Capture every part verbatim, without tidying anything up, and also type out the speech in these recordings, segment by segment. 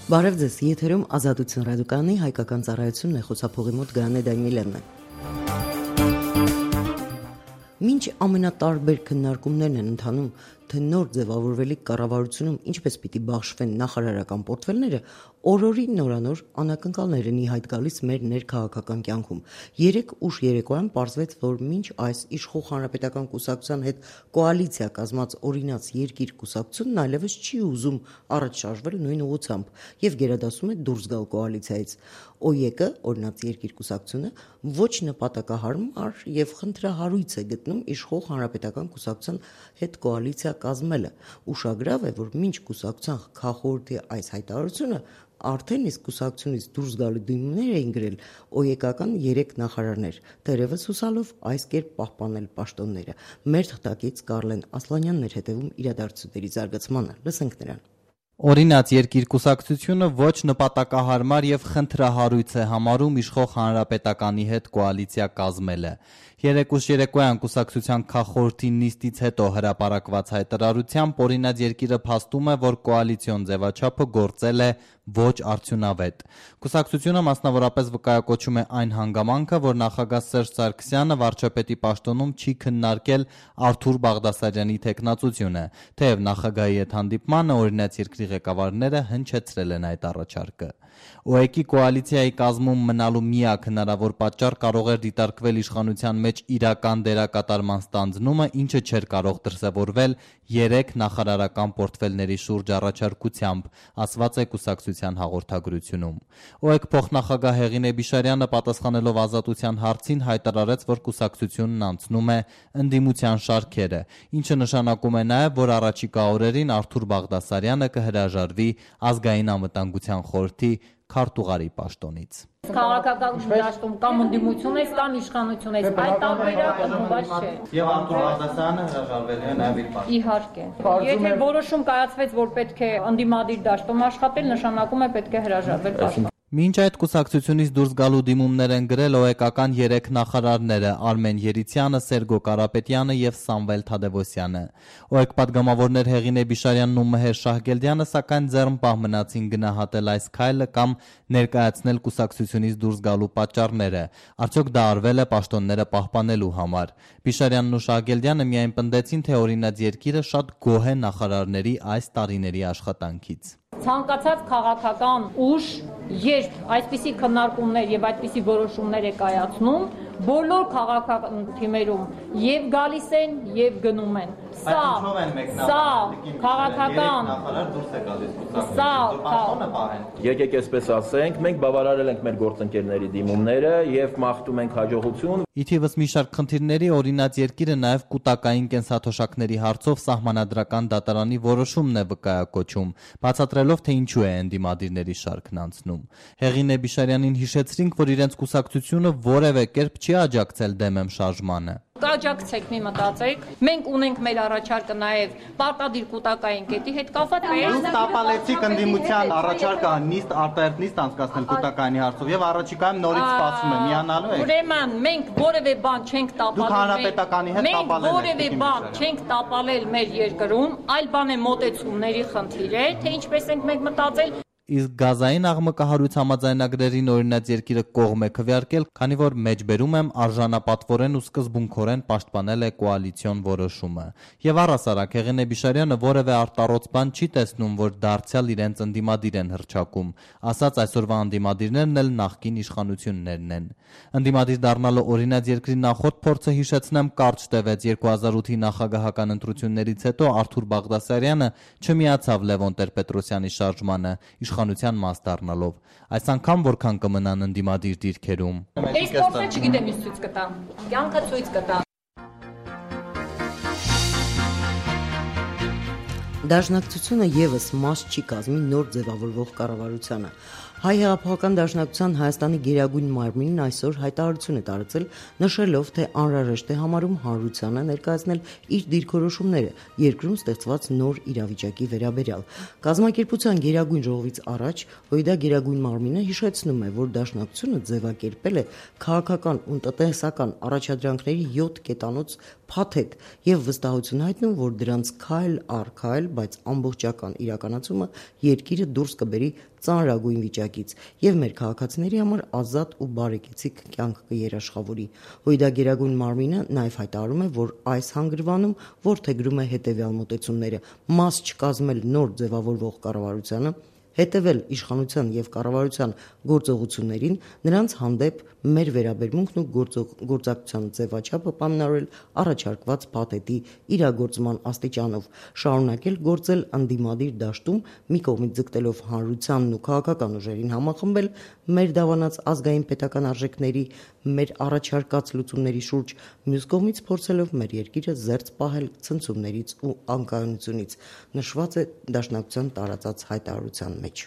Բարև ձեզ, եթերում Ազատություն ռադիոկայանի հայկական ծառայությունն է, խոսափողի մոտ Գրանե Դանիելյանն է։ Մինչ ամենատարբեր քննարկումներն են ընթանում, թե նոր ձևավորվելիք կառավարությունում ինչպես պիտի բաշխվեն նախարարական պորտֆելները, օրորի նորանոր անակնկալներ են ի հայտ գալիս մեր ներքաղաքական կյանքում։ Երեկ ուշ երեկոյան պարզվեց, որ մինչ այս իշխող հանրապետական կուսակցության հետ կոալիցիա կազմած օրինաց երկիր կուսակցությունն այլևս չի ուզում առաջ շարժվել նույն ուղղությամբ եւ գերադասում է դուրս գալ կոալիցիայից։ ՕԵԿ-ը, օրինաց երկիր կուսակցությունը, ոչ նպատակահարմար եւ խնդրահարույց է գտնում իշխող հանրապետական կուսակցության հետ կոալիցիա կազմելը։ Ուշագրավ է, որ մինչ կուսակցության քաղաքորդի այս հայտարարությունը արդեն իսկ կուսակցությունից դուրս գալու դիմումներ էին գրել ՕԵԿ-ական երեք նախարարներ, թերևս հուսալով այս կերպ պահպանել պաշտոնները։ Մեր թղթակից Կարլեն Ասլանյանն էր հետևում իրադարձությունների զարգացմանը։ Լսենք նրան։ Օրինաց երկիր կուսակցությունը ոչ նպատակահարմար եւ խնդրահարույց է համարում իշխող հանրապետականի հետ կոալիցիա կազմելը։ Երեկ ուշ երեկոյան կուսակցության քաղաքորդի նիստից հետո հրապարակված հայտարարությամբ օրինաց երկիրը փաստում է, որ կոալիցիոն ձևաչափը գործել է ոչ արդյունավետ։ Կուսակցությունը մասնավորապես վկայակոչում է այն հանգամանքը, որ նախագահ Սերժ Սարգսյանը վարչապետի պաշտոնում չի քննարկել Արթուր Բաղդասարյանի թեկնածությունը, թեև նախագահի հետ հանդիպմանը օրինաց երկրի ղեկավարները հնչեցրել են այդ առաջարկը։ ՕԵԿ-ի կոալիցիայի կազմում մնալու միակ հնարավոր պատճառ կարող էր դիտարկվել իշխանության մեջ իրական դերակատարման ստանձնումը, ինչը չէր կարող դրսևորվել երեք նախարարական պորտֆելների շուրջ առաջարկությամբ, ասված է կուսակցության հաղորդագրությունում։ ՕԵԿ փոխնախագահ Հեղինե Բիշարյանը պատասխանելով Ազատության հարցին հայտարարեց, որ կուսակցությունն անցնում է ընդդիմության շարքերը, ինչը նշանակում է նաև, որ առաջիկա օրերին Արթուր Բաղդասարյանը կհրաժարվի ազգային անվտանգության խորհրդի քարտուղարի պաշտոնից։ Քաղաքական դաշտում կամ ընդդիմություն ես կամ իշխանություն ես, այդ տարբերակը բաց չէ։ Եվ Արթուր Բաղդասարյանը հրաժարվել է նաև իր պաշտոնից։ Իհարկե։ Եթե որոշում կայացվեց, որ պետք է ընդդիմադիր դաշտում աշխատել, նշանակում է պետք է հրաժարվել պաշտոնից։ Մինչ այդ կուսակցությունից դուրս գալու դիմումներ են գրել ՕԵԿ-ական երեք նախարարները՝ Արմեն Երիցյանը, Սերգո Կարապետյանը եւ Սամվել Թադևոսյանը։ ՕԵԿ պատգամավորներ Հեղինե Բիշարյանն ու Մհեր Շահգելդյանը սակայն ձեռնպահ մնացին գնահատել այս քայլը կամ ներկայացնել կուսակցությունից դուրս գալու պատճառները։ Արդյոք դա արվել է պաշտոնները պահպանելու համար։ Բիշարյանն ու Շահգելդյանը միայն պնդեցին, թե օրինաց երկիրը շատ գոհ է նախարարների այս տարիների աշխատանքից։ Ցանկացած քաղաքական ուժ, երբ այսպիսի քննարկումներ եւ այդպիսի որոշումներ է կայացնում, բոլոր քաղաքական թիմերում եւ գալիս են եւ գնում են։ Սա սա քաղաքական նախարար դուրս է գալիս սա եկեք այսպես ասենք, մենք բավարարել ենք մեր գործընկերների դիմումները եւ մաղթում ենք հաջողություն։ Ի թիվս մի շարք խնդիրների օրինաց երկիրը նաև կուտակային կենսաթոշակների հարցով սահմանադրական դատարանի որոշումն է վկայակոչում, բացատրելով, թե ինչու է ընդդիմադիրների շարքն անցնում։ Հեղինե Բիշարյանին հիշեցրինք, որ իրենց կուսակցությունը որևէ կերպ չի աջակցել դեմ շարժմանը։ Կաջակցեք, մի մտածեք։ Մենք ունենք մեր առաջարկը նաև պարտադիր կուտակային կետի հետ կապված։ Դուք տապալեցիք ընդդիմության առաջարկը նիստ արտահերթ նիստ անցկացնել կուտակայինի հարցով եւ առաջիկայում նորից սպասում է միանալու եք։ Ուրեմն մենք որևէ բան չենք տապալել։ Դուք հանրապետականի հետ տապալել եք։ Մենք որևէ բան չենք տապալել մեր երկրում, այլ բան է մոտեցումների խնդիր է, թե ինչպես ենք մենք մտածել։ Իսկ գազային աղմկահարույց համաձայնագրերին օրինաց երկիրը կողմ է քվեարկել, քանի որ մեջբերում եմ արժանապատվորեն ու սկզբունքորեն պաշտպանել է կոալիցիոն որոշումը։ Եվ առհասարակ Հեղինե Բիշարյանը որևէ արտառոց բան չի տեսնում, որ դարձյալ իրենց ընդդիմադիր են հռչակում, ասած այսօրվա ընդդիմադիրներն էլ նախկին իշխանություններն են։ Ընդդիմադիր դառնալու օրինաց երկրի նախորդ փորձը հիշեցնեմ կարճ տևեց երկու հազար ութի նախագահական ընտրություններից հետո Արթուր Բաղդասարյանը չմիացավ Լևոն Տեր-Պետրոսյանի շարժմանը իշխանության մաս դառնալով։ Այս անգամ որքան կմնան ընդդիմադիր դիրքերում։ Այս փորձը չգիտեմ ինչ ցույց կտա։ Կյանքը ցույց կտա։ Դաշնակցությունը եւս մաս չի կազմի նոր ձևավորվող կառավարությանը։ Հայ հեղափոխական դաշնակցության Հայաստանի գերագույն մարմինն այսօր հայտարարություն է տարածել, նշելով, թե անհրաժեշտ է համարում հանրությանը ներկայացնել իր դիրքորոշումները երկրում ստեղծված նոր իրավիճակի վերաբերյալ։ Կազմակերպության գերագույն ժողովից առաջ ՀՅԴ գերագույն մարմինը հիշեցնում է, որ դաշնակցությունը ձևակերպել է քաղաքական ու տնտեսական առաջադրանքների յոթ կետանոց փաթեթ եւ վստահություն հայտնում, որ դրանց քայլ առ քայլ, բայց ամբողջական իրականացումը երկիրը դուրս կբերի ծանրագույն վիճակից եւ մեր քաղաքացիների համար ազատ ու բարեկեցիկ կյանք կերաշխավորի։ ՀՅԴ գերագույն մարմինը նաեւ հայտարարում է, որ այս հանգրվանում որդեգրում է հետեւյալ մոտեցումները՝ մաս չկազմել նոր ձևավորվող կառավարությանը, հետևել իշխանության եւ կառավարության գործողություններին, նրանց հանդեպ մեր վերաբերմունքն ու գործակցության ձևաչափը պայմանավորել առաջարկված փաթեթի իրագործման աստիճանով, շարունակել գործել ընդդիմադիր դաշտում, մի կողմից ձգտելով հանրությանն ու քաղաքական ուժերին համախմբել մեր դավանած ազգային պետական արժեքների, մեր առաջարկած լուծումների շուրջ, մյուս կողմից փորձելով մեր երկիրը զերծ պահել ցնցումներից ու անկայունությունից, նշված է դաշնակցության տարածած հայտարարության մեջ։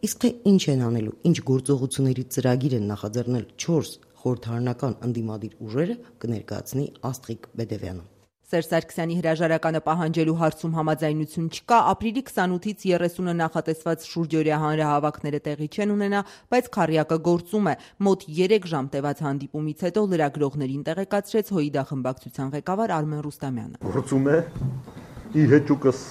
Իսկ թե ինչ են անելու, ինչ գործողությունների ծրագիր են նախաձեռնել չորս խորհրդարանական ընդդիմադիր ուժերը, կներկայացնի Աստղիկ Բեդևյանը։ Սերժ Սարգսյանի հրաժարականը պահանջելու հարցում համաձայնություն չկա, ապրիլի քսանութից երեսունը նախատեսված շուրջօրյա հանրահավաքները տեղի չեն ունենա, բայց քառյակը գործում է։ Մոտ երեք ժամ տևած հանդիպումից հետո լրագրողներին տեղեկացրեց ՀՅԴ խմբակցության ղեկավար Արմեն Ռուստամյանը։ Գործում է ի հեճուկս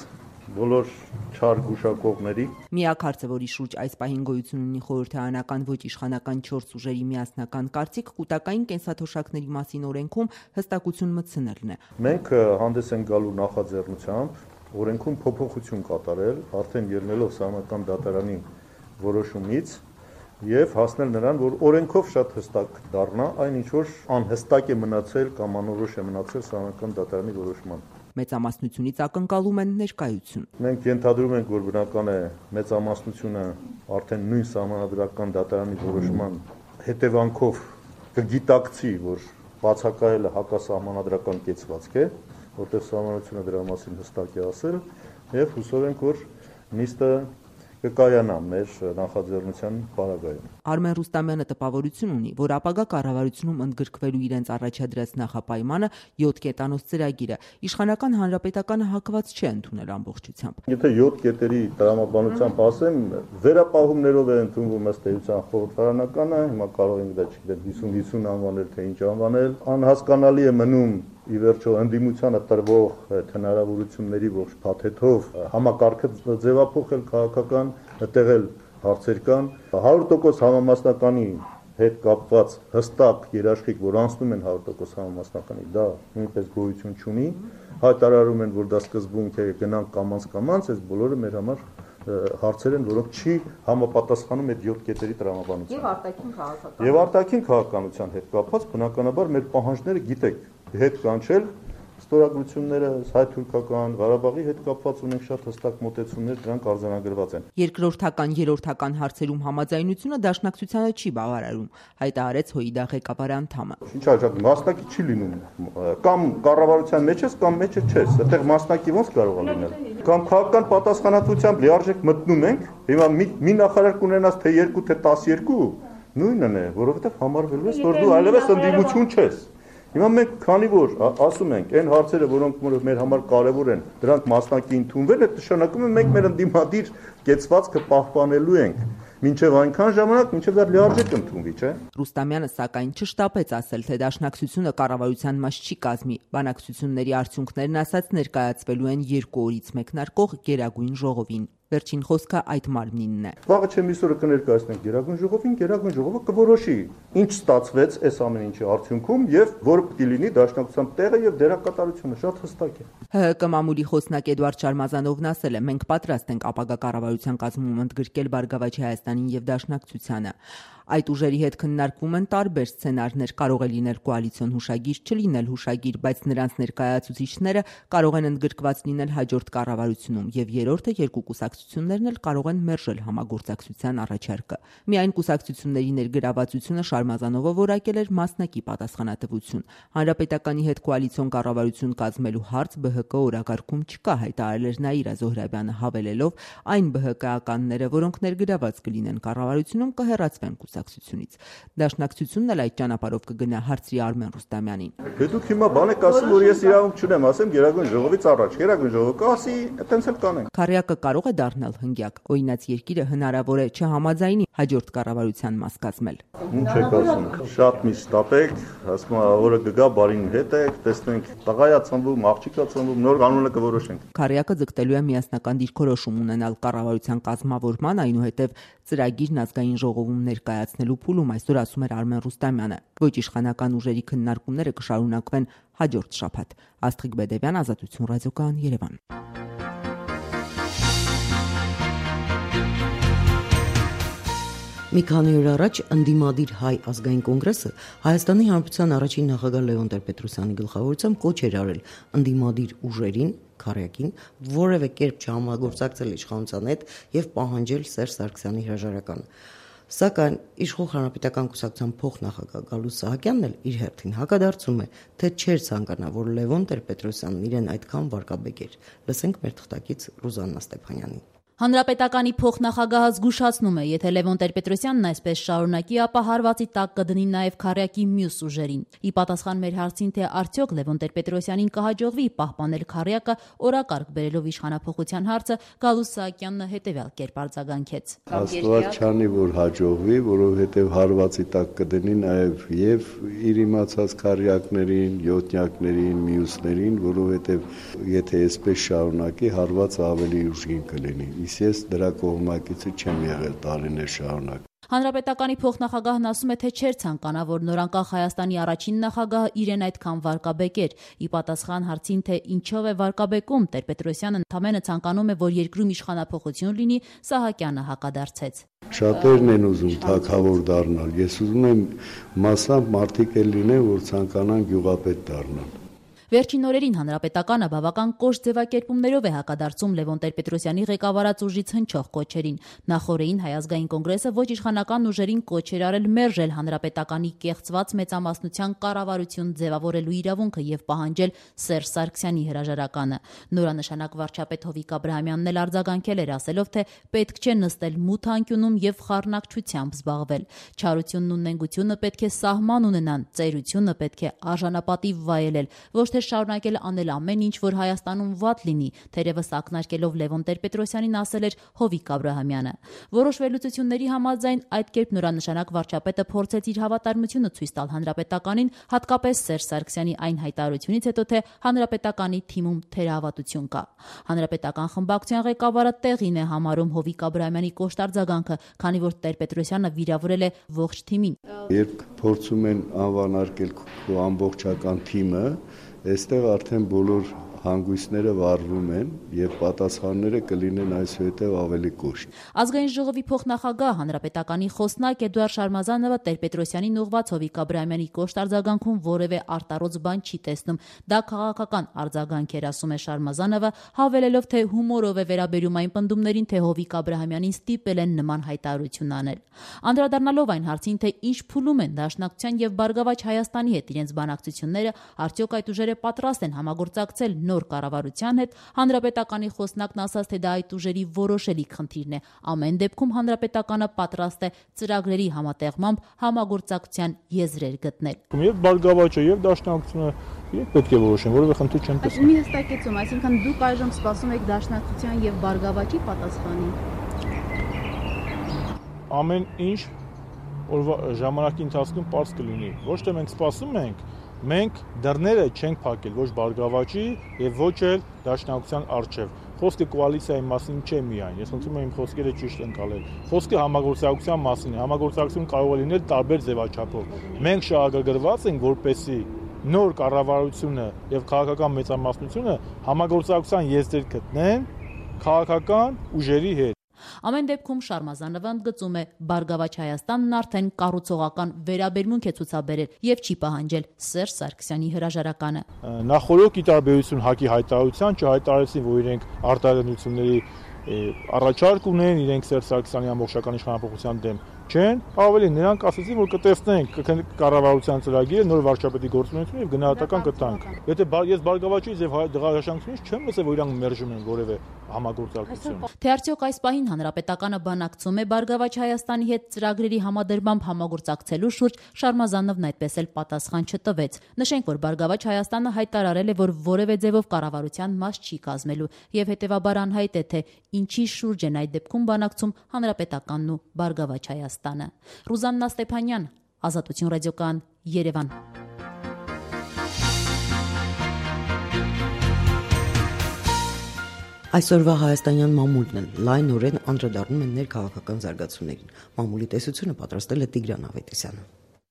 բոլոր չար գուշակողների։ Միակ հարցը, որի շուրջ այս պահին գոյություն ունի խորհրդարանական ոչ իշխանական չորս ուժերի միասնական կարծիք, կൂട്ടակային կենսաթոշակների մասին օրենքում հստակություն մտցնելն է։ Մենք հանդես ենք գալու նախաձեռնությամբ օրենքում փոփոխություն կատարել, արդեն ելնելով Սահմանադրական դատարանի որոշումից եւ հասնել նրան, որ օրենքով շատ հստակ դառնա այն, ինչ որ անհստակ է մնացել կամ անորոշ է մնացել Սահմանադրական դատարանի որոշման։ Մեծամասնությունից ակնկալում են ներկայություն։ Մենք ենթադրում ենք, որ բնական է մեծամասնությունը արդեն նույն Սահմանադրական դատարանի որոշման հետևանքով կգիտակցի, որ բացակայելը հակասահմանադրական կեցվածք է, որտեղ Սահմանադրությունը դրա մասին հստակ է ասել, եւ հուսով ենք, որ նիստը կկայանա մեր նախաձեռնության պարագայում։ Արմեն Ռուստամյանը տպավորություն ունի, որ ապագա կառավարությունում ընդգրկվելու իրենց առաջադրած նախապայմանը յոթ կետանոց ծրագիրը իշխանական հանրապետականը հակված չէ ընդունել ամբողջությամբ։ Եթե յոթ կետերի տրամաբանությամբ ասեմ, վերապահումներով է ընդունվում ըստ էության խորհրդարանականը, հիմա կարող ենք դա չգիտեմ հիսուն հիսուն անվանել, թե ինչ անվանել, անհասկանալի է մնում ի վերջո ընդդիմությանը տրվող հնարավորությունների ողջ փաթեթով համակարգը ձևափոխել քաղաքական, տեղել հարցեր կան, հարյուր տոկոս համամասնականի հետ կապված հստակ երաշխիք, որ անցնում են հարյուր տոկոս համամասնականի, դա նույնպես գոյություն չունի, հայտարարում են, որ դա սկզբունք է, գնանք կամաց-կամաց, այս բոլորը մեր համար հարցեր են, որոնք չի համապատասխանում այդ յոթ կետերի տրամաբանության։ Եվ արտաքին քաղաքական։ Եվ արտաքին քաղաքականության հետ կապված բնականաբար մեր պահանջները գիտեք հետ կանչել ստորագրությունները հայ-թուրքական Ղարաբաղի հետ կապված ունենք շատ հստակ մոտեցումներ, դրանք արձանագրված են։ Երկրորդական, երրորդական հարցերում համաձայնությունը դաշնակցությանը չի բավարարում, հայտարարեց ՀՅԴ ղեկավար անդամը։ Ինչ արժեք, մասնակի չի լինում, կամ կառավարության մեջ ես, կամ մեջը չես, այդտեղ մասնակի ոնց կարող է լինել։ Կամ քաղաքական պատասխանատվությամբ լիարժեք մտնում ենք, հիմա մի, մի նախարար կունենաս թե երկու, թե տասներկու, նույնն է, որովհետև համարվելու ես, որ դու այլևս ընդդիմություն չես։ Հիմա մենք քանի որ ասում ենք, այն հարցերը, որոնք մեր համար կարևոր են, դրանք մասնակի ընդունվել է, նշանակում է մենք մեր ընդդիմադիր կեցվածքը պահպանելու ենք, մինչև այնքան ժամանակ, մինչև դա լիարժեք ընդունվի, չէ՞։ Ռուստամյանը սակայն չշտապեց ասել, թե դաշնակցությունը կառավարության մաս չի կազմի։ Բանակցությունների արդյունքներն ասած ներկայացվելու են երկու օրից մեկնարկող Գերագույն ժողովին։ Վերջին խոսքը այդ մարմինն է։ Վաղը չեմ իսօրը կներկայացնենք Գերագույն ժողովին, Գերագույն ժողովը կորոշի ինչ ստացվեց այս ամեն ինչի արդյունքում եւ որը պետք է լինի դաշնակցության տեղը եւ դերակատարությունը, շատ հստակ է։ ՀՀԿ մամուլի խոսնակ Էդվարդ Շարմազանովն ասել է. մենք պատրաստ ենք ապագա կառավարության կազմում ընդգրկել Բարգավաճ Հայաստանին եւ դաշնակցությանը։ Այդ ուժերի հետ քննարկվում են տարբեր սցենարներ, կարող է լինել կոալիցիոն հուշագիր, չլինել հուշագիր, բայց նրանց ներկայացուցիչները կարող են ընդգրկված լինել հաջորդ կառավարությունում, եւ երրորդը երկու կուսակցություններն էլ կարող են մերժել համագործակցության առաջարկը։ Միայն կուսակցությունների ներգրավվածությունը Շարմազանովը որակել էր մասնակի պատասխանատվություն։ Հանրապետականի հետ կոալիցիոն կառավարություն կազմելու հարց ԲՀԿ օրակարգում չկա, հայտարարել էր Նաիրա Զոհրաբյանը, հավելելով, այն ԲՀԿ-ականները, որոնք ներգրաված կլինեն կառավարությունում, կհեռացվեն կուսակցությունից։ Դաշնակցությունն էլ այդ ճանապարհով կգնա, հարցրի Արմեն Ռուստամյանին։ Դե դուք հիմա բան եք ասում, որ ես իրավունք չունեմ, ասեմ Գերագույն ժողովից առաջ, Գերագույն ժողովը կասի, այտենց էլ կանենք։ Քարյակը կարող է դառնալ հնգյակ, օրինաց երկիրը հնարավոր է չհամաձայնի հաջորդ կառավարության մաս կազմել։ Ինչ եք ասում, շատ մի ստապեք, ասում եմ, օրը կգա, բարին հետ եք, տեսնենք, տղայա ծնվում, աղջիկա ծնվում, նոր կանոնը կորոշենք։ Քարյակը ձգտելու է միասնական դիրքորոշում ունենալ կառավարության կազմավորման, այնուհետև ծրագիրն ազգային ժողովում ներկայացնելու փուլում, այսօր ասում էր Արմեն Ռուստամյանը։ Ոչ իշխանական ուժերի քննարկումները կշարունակվեն հաջորդ շաբաթ։ Աստղիկ Բեդևյան, Ազատություն ռադիոկայան, Երևան։ Մի քանի օր առաջ ընդդիմադիր հայ ազգային կոնգրեսը Հայաստանի Հանրապետության առաջին նախագահ Լևոն Տեր-Պետրոսյանի գլխավորությամբ կոչ էր արել ընդդիմադիր ուժերին, Քարյակին, որևէ կերպ չհամագործակցել իշխանության հետ եւ պահանջել Սերժ Սարգսյանի հրաժարականը։ Սակայն իշխող Հանրապետական կուսակցության փոխնախագահ Գալուստ Սահակյանն էլ իր հերթին հակադարձում է, թե չէր ցանկանա, որ Լևոն Տեր-Պետրոսյանն իրեն այդքան վարկաբեկեր։ Լսենք մեր թղթակից Ռուզաննա Ստեփանյանին։ Հանրապետականի փոխնախագահը զգուշացնում է, եթե Լևոն Տեր-Պետրոսյանն այսպես շարունակի, ապա հարվածի տակ կդնի նաև Քարյակի մյուս ուժերին։ Ի պատասխան մեր հարցին, թե արդյոք Լևոն Տեր-Պետրոսյանին կհաջողվի պահպանել Քարյակը, օրակարգ բերելով իշխանափոխության հարցը, Գալուստ Սահակյանն հետևյալ կերպ արձագանքեց։ Աստված չանի, որ հաջողվի, որովհետև հարվածի տակ կդնի նաև եւ իր իմացած Քարյակներին, յոթնյակներին, մյուսներին, որովհետև եթե այսպես շարունակի, հարվածը ավելի ուժգին կլինի։ Ես դրա կողմնակիցը չեմ եղել տարիներ շարունակ։ Հանրապետականի փոխնախագահն ասում է, թե չէր ցանկանա, որ նորանկախ Հայաստանի առաջին նախագահը իրեն այդքան վարկաբեկեր։ Ի պատասխան հարցին, թե ինչով է վարկաբեկում, Տեր-Պետրոսյանը ընդամենը ցանկանում է, որ երկրում իշխանափոխություն լինի, Սահակյանը հակադարձեց։ Շատերն են ուզում թագավոր դառնալ։ Ես ուզում եմ մասամբ մարդիկ էլ լինեն, որ ցանկանան գյուղապետ դառնալ։ Վերջին օրերին Հանրապետականը բավական կոշտ ձևակերպումներով է հակադարձում Լևոն Տեր-Պետրոսյանի ղեկավարած ուժից հնչող կոչերին։ Նախորդին Հայ ազգային կոնգրեսը ոչ իշխանական ուժերին կոչ էր արել մերժել Հանրապետականի կեղծված մեծամասնության կառավարություն ձևավորելու իրավունքը եւ պահանջել Սերժ Սարգսյանի հրաժարականը։ Նորանշանակ վարչապետ Հովիկ Աբրահամյանն էլ արձագանքել էր, ասելով, թե պետք չէ նստել մութ անկյունում եւ խառնակչությամբ զբաղվել։ Չարությունն ու նենգությունը պետք է սահման ունենան, ծերությունը պետք է արժանապատիվ վայելել, ոչ թե շարունակել անել ամեն ինչ, որ Հայաստանում վատ լինի, թերևս ակնարկելով Լևոն Տեր-Պետրոսյանին ասել էր Հովիկ Աբրահամյանը։ Որոշ վերլուծությունների համաձայն այդ կերպ նորանշանակ վարչապետը փորձեց իր հավատարմությունը ցույց տալ Հանրապետականին, հատկապես Սերժ Սարգսյանի այն հայտարարությունից հետո, թե Հանրապետականի թիմում թերահավատություն կա։ Հանրապետական խմբակցության ղեկավարը տեղին է համարում Հովիկ Աբրահամյանի կոշտ արձագանքը, քանի որ Տեր-Պետրոսյանը վիրավորել է ողջ թիմին։ Երբ փորձում են անվանարկել քո ամբողջական թիմը, այստեղ արդեն բոլոր հանգույցները վառվում են եւ պատասխանները կլինեն այսուհետեւ ավելի կոշտ։ Ազգային ժողովի փոխնախագահ Հանրապետականի խոսնակ Էդուարդ Շարմազանովը Տեր-Պետրոսյանին ուղղված Հովիկ Աբրահամյանի կոշտ արձագանքում որևէ արտարոց բան չի տեսնում։ Դա քաղաքական արձագանք էր, ասում է Շարմազանովը, հավելելով, թե հումորով է վերաբերում այն պնդումներին, թե Հովիկ Աբրահամյանին ստիպել են նման հայտարարություն անել։ Անդրադառնալով այն հարցին, թե ինչ փուլում են Դաշնակցության եւ Բարգավաճ Հայաստանի հետ իրենց բանակցությունները, արդյոք այդ ուժերը պատրաստ են համագործակցել նոր կառավարության հետ, Հանրապետականի խոսնակն ասաց, թե դա այդ ուժերի որոշելի խնդիրն է։ Ամեն դեպքում Հանրապետականը պատրաստ է ծրագրերի համատեղմամբ համագործակցության եզրեր գտնել։ Եվ Բարգավաճը եւ Դաշնակցությունը իրենք պետք է որոշեն, որովհետեւ խնդիր չեն տեսնում։ Մի հստակեցում, այսինքն դուք այժմ սպասում եք Դաշնակցության եւ Բարգավաճի պատասխանին։ Ամեն ինչ օրվա ժամանակի ընթացքում པարզ կլինի։ Ոչ թե մենք սպասում ենք, մենք դռները չենք փակել ոչ Բարգավաճի եւ ոչ էլ Դաշնակցության առջև։ Խոսքը կոալիցիայի մասին չէ միայն, ես խնդրում եմ իմ խոսքերը ճիշտ ընկալել։ Խոսքը համագործակցության մասին է։ Համագործակցություն կարող է լինել տարբեր ձևաչափով։ Մենք շահագրգռված ենք, որպեսզի նոր կառավարությունը եւ քաղաքական մեծամասնությունը համագործակցության եզրեր գտնեն քաղաքական ուժերի հետ։ Ամեն դեպքում Շարմազանովը ընդգծում է, Բարգավաճ Հայաստանն արդեն կառուցողական վերաբերմունք է ցուցաբերել եւ չի պահանջել Սերժ Սարգսյանի հրաժարականը։ Նախորդ ի տարբերություն ՀԱԿ-ի հայտարարության չհայտարարեցին, որ իրենք արտահայտությունների առաջարկ ունեն, իրենք Սերժ Սարգսյանի ամբողջական իշխանապողության դեմ չեն, ավելի նրանք ասացին, որ կտեսնենք կառավարության ծրագիրը, նոր վարչապետի գործունեությունը եւ գնահատական կտանք։ Եթե ես Բարգավաճից եւ դեղաշրջանությունից չեմ լսել, որ իրանք մերժում են որևէ համագործակցություն։ Թե արդյոք այս պահին Հանրապետականը բանակցում է Բարգավաճ Հայաստանի հետ ծրագրերի համադրմամբ համագործակցելու շուրջ, Շարմազանովն այդպես էլ պատասխան չտվեց։ Նշենք, որ Բարգավաճ Հայաստանը հայտարարել է, որ որևէ ձևով կառավարության մաս չի կազմելու եւ հետեւաբար անհայտ է, թե ինչի շուրջ են այդ դեպքում բանակցում Հանրապետականն ու Բարգավաճ Հայաստանը։ Ռուզաննա Ստեփանյան, Ազատություն ռադիոկայան, Երևան։ Այսօրվա հայաստանյան մամուլն են լայնորեն անդրադառնում են ներքաղաքական զարգացումներին։ Մամուլի տեսությունը պատրաստել է Տիգրան Ավետիսյանը։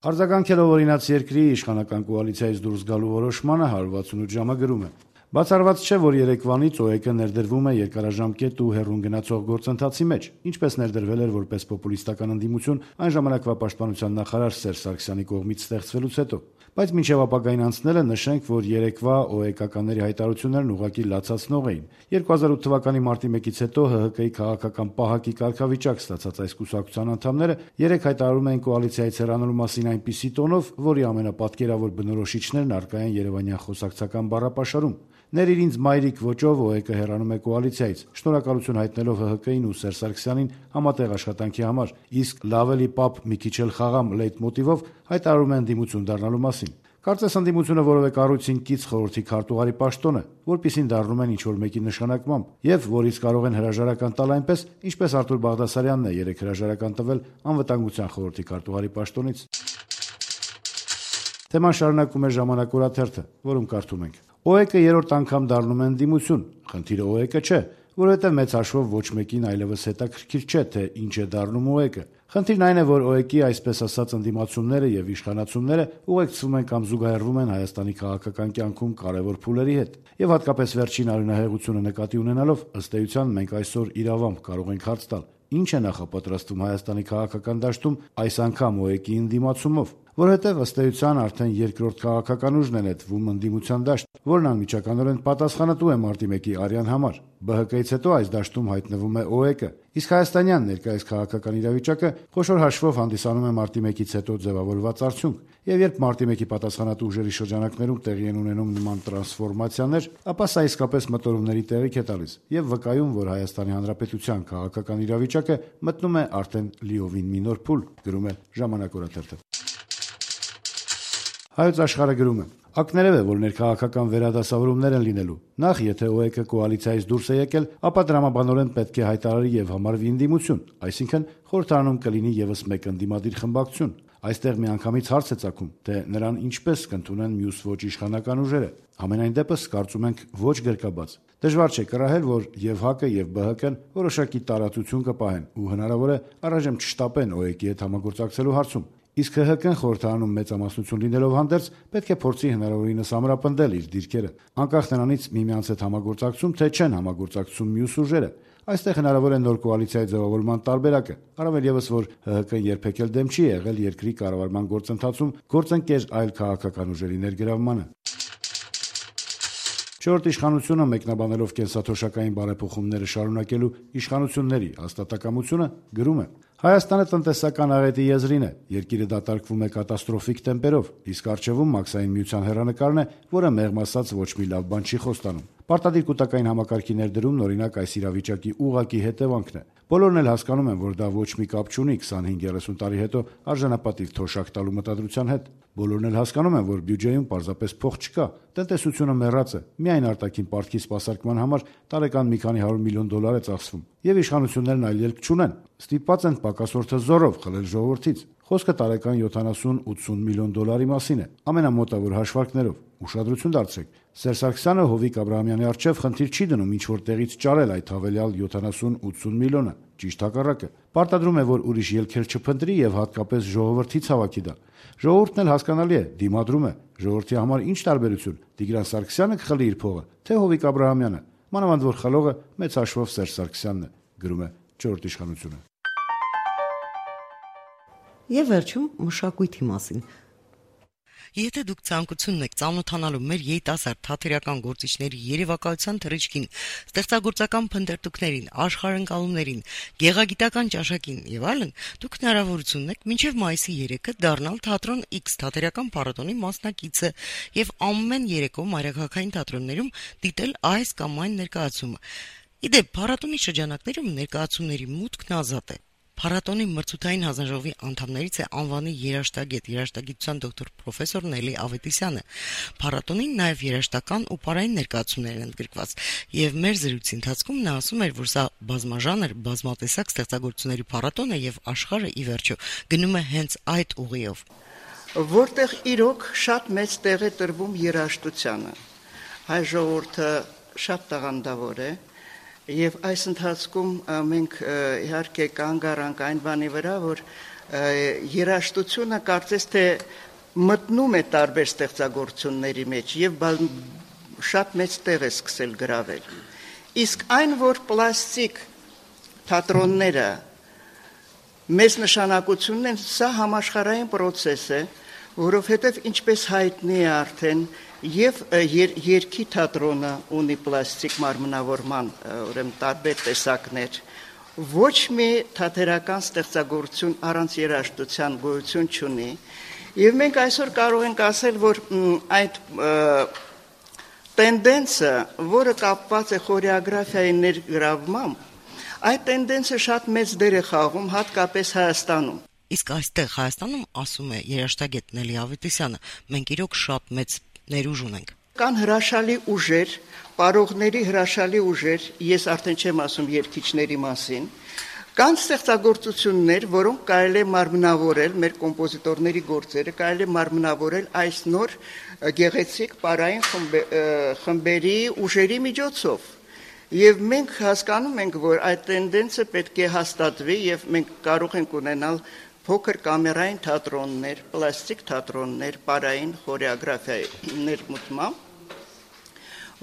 Արձագանքելով օրինաց երկրի իշխանական կոալիցիայից դուրս գալու որոշմանը հարյուր վաթսունութ ժամը գրում է. Բացառված չէ, որ երեկվանից ՕԵԿ-ը ներդրվում է երկարաժամկետ ու հեռուն գնացող գործընթացի մեջ, ինչպես ներդրվել էր որպես պոպուլիստական ընդդիմություն այն ժամանակվա պաշտպանության նախարար Սերժ Սարգսյանի կողմից ստեղծվելուց հետո։ Բայց մինչև ապագային անցնելը նշենք, որ երեկվա ՕԵԿ-ականների հայտարարություններն ուղղակի լացացնող էին։ երկու հազար ութ թվականի մարտի մեկից հետո ՀՀԿ-ի քաղաքական պահակի կարգավիճակ ստացած այս կուսակցության անդամները երեք հայտարարում էին կոալիցիայից հեռանալու մասին այնպիսի տոնով, որի ամենապատկերավոր բնորոշիչներն առկա են երևանյան խոսակցական բառապաշարում։ Ներիր ինձ մայրիկ ոճով ՕԵԿ-ը հեռանում է կոալիցիայից, շնորհակալություն հայտնելով ՀՀԿ-ին ու Սերժ Սարգսյանին համատեղ աշխատանքի համար, իսկ լավելի պապ մի քիչ էլ խաղամ լեյտմոտիվով հայտարարում են ընդդիմություն դառնալու մասին։ Կարծես ընդդիմությունը որևէ կառույցին կից խորհրդի քարտուղարի պաշտոն է, որպիսին դառնում են ինչ-որ մեկի նշանակմամբ, եւ որից կարող են հրաժարական տալ այնպես, ինչպես Արտուր Բաղդասարյանն է երեք հրաժարական տվել անվտանգության խորհրդի քարտուղարի պաշտոնից։ Թեման շարունակում է Ժամանակ օրաթերթը, որում կարդում ենք. ՕԵԿ-ը երրորդ անգամ դառնում է ընդդիմություն, խնդիրը ՕԵԿ-ը չէ, որովհետև մեծ հաշվով ոչ մեկին այլևս հետաքրքիր չէ, թե ինչ է դառնում ՕԵԿ-ը։ Խնդիրն այն է, որ ՕԵԿ-ի այսպես ասած ընդդիմացումները եւ իշխանացումները ուղեկցվում են կամ զուգահեռվում են Հայաստանի քաղաքական կյանքում կարևոր փուլերի հետ։ Եվ հատկապես վերջին արյունահեղությունը նկատի ունենալով, ըստ էության մենք այսօր իրավամբ կարող ենք հարց տալ. ինչ է նախապատրաստվում Հայաստանի քաղաքական դաշտում այս անգամ ՕԵԿ-ի ընդդիմացումով, որովհետև ըստ էության արդեն երկրորդ քաղաքական ուժն է նետվում ընդդիմության դաշտ, որն անմիջականորեն պատասխանատու է մարտի մեկի արյան համար։ ԲՀԿ-ից հետո այս դաշտում հայտնվում է ՕԵԿ-ը, իսկ հայաստանյան ներկայիս քաղաքական իրավիճակը խոշոր հաշվով հանդիսանում է մարտի մեկից հետո ձևավորված արդյունք, եւ երբ մարտի մեկի պատասխանատու ուժերի շրջանակներում տեղի են ունենում նման տրանսֆորմացիաներ, ապա սա իսկապես մտորումների տեղիք է տալիս եւ վկայում, որ Հայաստանի Հանրապետության քաղաքական իրավիճակը մտնում է արդեն լիովին մի նոր փուլ, գրում է Ժամանակ օրաթերթը։ Հայոց աշխարհը գրում է. Ակներև է, որ ներքաղաքական վերադասավորումներ են լինելու։ Նախ, եթե ՕԵԿ-ը կոալիցիայից դուրս է եկել, ապա դրամաբանորեն պետք է հայտարարի եւ համարվի ընդդիմություն, այսինքն խորհրդարանում կլինի եւս մեկ ընդդիմադիր խմբակցություն։ Այստեղ միանգամից հարց է ծագում, թե նրան ինչպես կընդունեն մյուս ոչ իշխանական ուժերը։ Համենայն դեպս կարծում ենք ոչ գրկաբաց։ Դժվար չէ կռահել, որ եւ ՀԱԿ-ը եւ ԲՀԿ-ն որոշակի տարածություն կպահեն ու հնարավոր է առայժմ չշտապեն ՕԵԿ-ի հետ համագործակցելու հարցում։ Իսկ ՀՀԿ-ն խորհրդարանում մեծամասնություն լինելով հանդերձ պետք է փորձի հնարավորինս ամրապնդել իր դիրքերը, անկախ նրանից միմյանց հետ համագործակցում թե չեն համագործակցում մյուս ուժերը։ Այստեղ հնարավոր է նոր կոալիցիայի ձևավորման տարբերակը, առավել եւս որ ՀՀԿ-ն երբեք էլ դեմ չի եղել երկրի կառավարման գործընթացում գործընկեր այլ քաղաքական ուժերի ներգրավմանը։ Չորրորդ իշխանությունը մեկնաբանելով կենսաթոշակային բարեփոխումները շարունակելու իշխանությունների հաստատակամությունը գրում է. Հայաստանը տնտեսական աղետի եզրին է, երկիրը դատարկվում է կատաստրոֆիկ տեմպերով, իսկ առջևում մաքսային միության հեռանկարն է, որը մեղմ ասած ոչ մի լավ բան չի խոստանում։ Պարտադիր կուտակային համակարգի ներդրումն օրինակ այս իրավիճակի ուղղակի հետևանքն է։ Բոլորն էլ հասկանում են, որ դա ոչ մի կապ չունի քսանհինգ երեսուն տարի հետո արժանապատիվ թոշակ տալու մտադրության հետ։ Բոլորն էլ հասկանում են, որ բյուջեում պարզապես փող չկա, տնտեսությունը մեռած է, միայն արտաքին պարտքի սպասարկման համար տարեկան մի քանի հարյուր միլիոն դոլար է ծախսվում, եւ իշխանություններն այլ ելք չունեն, ստիպված են պակասորդը զորով խլել ժողովրդից։ Խոսքը տարեկան յոթանասուն-ութսուն միլիոն դոլարի մասին է, ամենամոտավոր հաշվարկներով։ Ուշադրություն դարձրեք, Սերժ Սարգսյանը Հովիկ Աբրահամյանի առջև խնդիր չի դնում ինչ որ տեղից ճարել այդ հավելյալ յոթանասուն-ութսուն միլիոնը, ճիշտ հակառակը։ Պարտադրում է, որ ուրիշ ելքեր չփնտրի եւ հատկապես ժողովրդից հավաքի դա։ Ժողովուրդն էլ հասկանալի է, դիմադրում է։ Ժողովրդի համար ինչ տարբերություն՝ Տիգրան Սարգսյանը կխլի իր փողը, թե Հովիկ Աբրահամյանը, մանավանդ որ խլողը մեծ հաշվով Սերժ Սարգսյանն է, գրում է չորրորդ իշխանությունը։ Եվ վերջում մշակույթի մասին։ Եթե դուք ցանկություն եք ծանոթանալու մեր երիտասարդ թատերական գործիչների երևակայության թռիչքին, ստեղծագործական փնտրտուքներին, աշխարհընկալումներին, գեղագիտական ճաշակին եւ այլն, դուք հնարավորություն ունեք մինչեւ մայիսի երեքը դառնալ թատրոն X թատերական փառատոնի մասնակիցը եւ ամեն երեկո մայրաքաղաքային թատրոններում դիտել այս կամ այն ներկայացումը։ Իդեպ փառատոնի շրջանակներում ներկայացումների մուտքն ազատ է։ Փառատոնի մրցութային հանձնաժողովի անդամներից է անվանի երաժշտագետ, երաժշտագիտության դոկտոր պրոֆեսոր Նելի Ավետիսյանը։ Փառատոնին նաև երաժշտական ու պարային ներկայացումներ են ընդգրկված, եւ մեր զրույցի ընթացքում նա ասում էր, որ սա բազմաժանր, բազմատեսակ ստեղծագործությունների փառատոն է եւ աշխարհը ի վերջո գնում է հենց այդ ուղիով, որտեղ իրոք շատ մեծ տեղ է տրվում երաժշտությանը։ Հայ ժողովուրդը շատ տաղանդավոր է։ Եվ այս ընթացքում մենք իհարկե կանգ առանք այն բանի վրա, որ երաժշտությունը կարծես թե մտնում է տարբեր ստեղծագործությունների մեջ եւ շատ մեծ տեղ է սկսել գրավել։ Իսկ այն, որ պլաստիկ թատրոնները մեծ նշանակություն են, սա համաշխարհային process է, որովհետեւ ինչպես հայտնի է արդեն Եվ երկի թատրոնը ունի պլաստիկ մարմնավորման ուրեմն տարբեր տեսակներ, ոչ մի թատերական ստեղծագործություն առանց երաժշտության գոյություն չունի, եւ մենք այսօր կարող ենք ասել, որ այդ տենդենսը, որը կապված է խորեոգրաֆիայի ներգրավմամբ, այդ տենդենսը շատ մեծ դեր է խաղում հատկապես Հայաստանում։ Իսկ այստեղ Հայաստանում, ասում է երաժշտագետ Նելի Ավետիսյանը, մենք իրոք շատ մեծ ներուժ ունենք։ Կան հրաշալի ուժեր, պարողների հրաշալի ուժեր, ես արդեն չեմ ասում երգիչների մասին, կան ստեղծագործություններ, որոնք կարելի է մարմնավորել, մեր կոմպոզիտորների գործերը կարելի է մարմնավորել այս նոր գեղեցիկ պարային խմբերի ուժերի միջոցով։ Եվ մենք հասկանում ենք, որ այդ տենդենսը պետք է հաստատվի եւ մենք կարող ենք ունենալ փոքր կամերային թատրոններ, պլաստիկ թատրոններ, պարային խորեոգրաֆիայի ներմուծմամբ,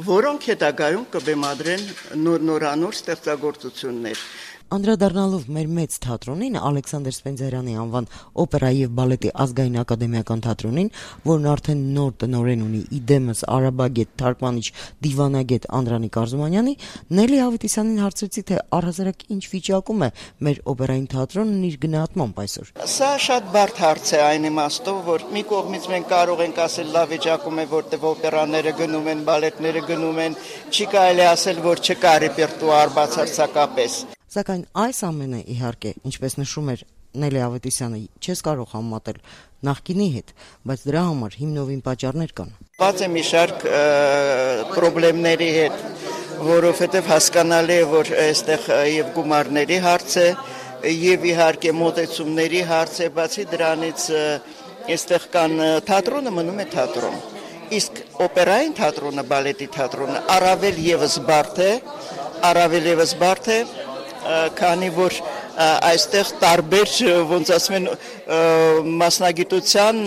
որոնք հետագայում կբեմադրեն նորանոր ստեղծագործություններ։ Անդրադառնալով մեր մեծ թատրոնին, Ալեքսանդր Սպենդիարյանի անվան օպերայի եւ բալետի ազգային ակադեմիական թատրոնին, որն արդեն նոր տնօրեն ունի իդեմս արաբագետ, թարգմանիչ, դիվանագետ Անդրանիկ Արզումանյանի, Նելի Ավետիսյանին հարցրեցի, թե առհասարակ ինչ վիճակում է մեր օպերային թատրոնն իր գնահատմամբ այսօր։ Սա շատ բարդ հարց է այն իմաստով, որ մի կողմից մենք կարող ենք ասել լավ վիճակում է, որտեղ օպերաները գնում են, բալետները գնում են, չի կարելի ասել, որ չկա ռեպերտուար բացարձակապես։ Սակայն այս ամենը, իհարկե, ինչպես նշում էր Նելի Ավետիսյանը, չես կարող համատել նախկինի հետ, բայց դրա համար հիմնովին պատճառներ կան։ Բաց է մի շարք խնդիրների հետ, որովհետև հասկանալի է, որ այստեղ եւ գումարների հարց է, եւ իհարկե մոտեցումների հարց է, բացի դրանից այստեղ կան թատրոնը մնում է թատրոն։ Իսկ օպերային թատրոնը, բալետի թատրոնը առավել եւս բարդ է, առավել եւս բարդ է, քանի որ այստեղ տարբեր ոնց ասում են մասնագիտության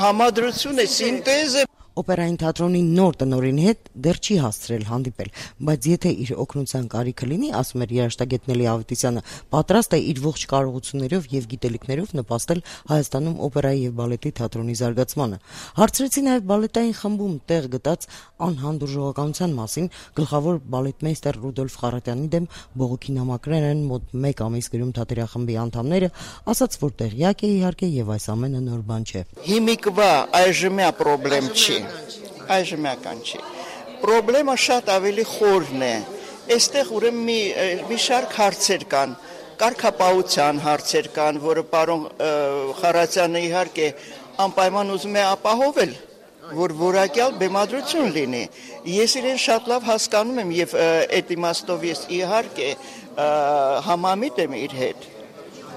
համադրություն է, սինտեզ է։ Օպերային թատրոնի նոր տնօրենի հետ դեռ չի հասցրել հանդիպել, բայց եթե իր օգնության կարիքը լինի, ասում էր երաժշտագետ Նելի Ավետիսյանը, պատրաստ է իր ողջ կարողություններով եւ գիտելիքներով նպաստել Հայաստանում օպերայի եւ բալետի թատրոնի զարգացմանը։ Հարցրեցի նաեւ բալետային խմբում տեղ գտած անհանդուրժողականության մասին, գլխավոր բալետմեյստեր Ռուդոլֆ Խարատյանի դեմ բողոքի նամակներ են մոտ մեկ ամիս գրում թատերախմբի անդամները, ասաց, որ տեղյակ է իհարկե եւ այս ամենը նոր բան չէ։ Հիմիկվա այժմյա խնդրեմ չի, այժմյական չի։ Պրոբլեմը շատ ավելի խորն է։ Այստեղ ուրեմն մի մի շարք հարցեր կան, կարգապահության հարցեր կան, որը պարոն Խարատյանը իհարկե անպայման ուզում է ապահովել, որ որակյալ բեմադրություն լինի։ Ես իրեն շատ լավ հասկանում եմ եւ այդ իմաստով ես իհարկե համամիտ եմ իր հետ։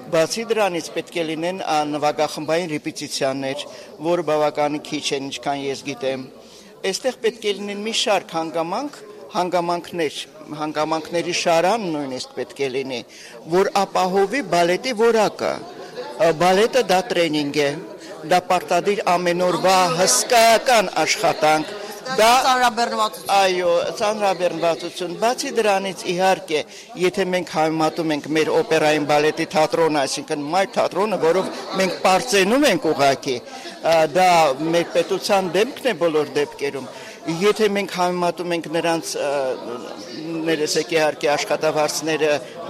Բացի դրանից պետք է լինեն նվագախմբային ռեպետիցիաներ, որը բավականին քիչ են, ինչքան ես գիտեմ։ Այստեղ պետք է լինեն մի շարք հանգամանք, հանգամանքներ, հանգամանքների շարան նույնիսկ պետք է լինի, որ ապահովի բալետի որակը։ Բալետը դա տրեյնինգ է, դա պարտադիր ամեն օրվա հսկայական աշխատանք, Դա ծանրաբեռնվածություն։ Այո, ծանրաբեռնվածություն։ Բացի դրանից իհարկե, եթե մենք համեմատում ենք մեր օպերային բալետի թատրոնը, այսինքն մայր թատրոնը, որով մենք պարծենում ենք ուղղակի, դա մեր պետության դեմքն է բոլոր դեպքերում։ Եթե մենք համեմատում ենք նրանց ներեցեք իհարկե աշխատավարձները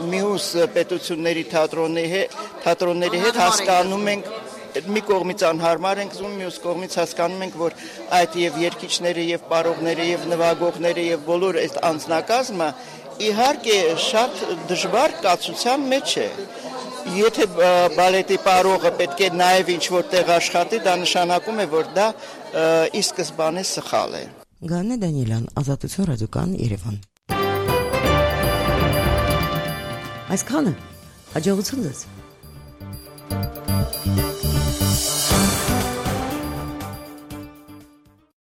մյուս պետությունների թատրոնների հետ, հասկանում ենք, մի կողմից անհարմար ենք զում, մյուս կողմից հասկանում ենք, որ այդ եւ երգիչները եւ պարողները եւ նվագողները եւ բոլոր այդ անձնակազմը իհարկե շատ դժվար կացության մեջ է։ Եթե բալետի պարողը պետք է նաեւ ինչ-որ տեղ աշխատի, դա նշանակում է, որ դա ի սկզբանե սխալ է։ Գանե Դանիելյան, Ազատություն ռադիոկան, Երևան։ Այսքանը, հաջողություն ձեզ։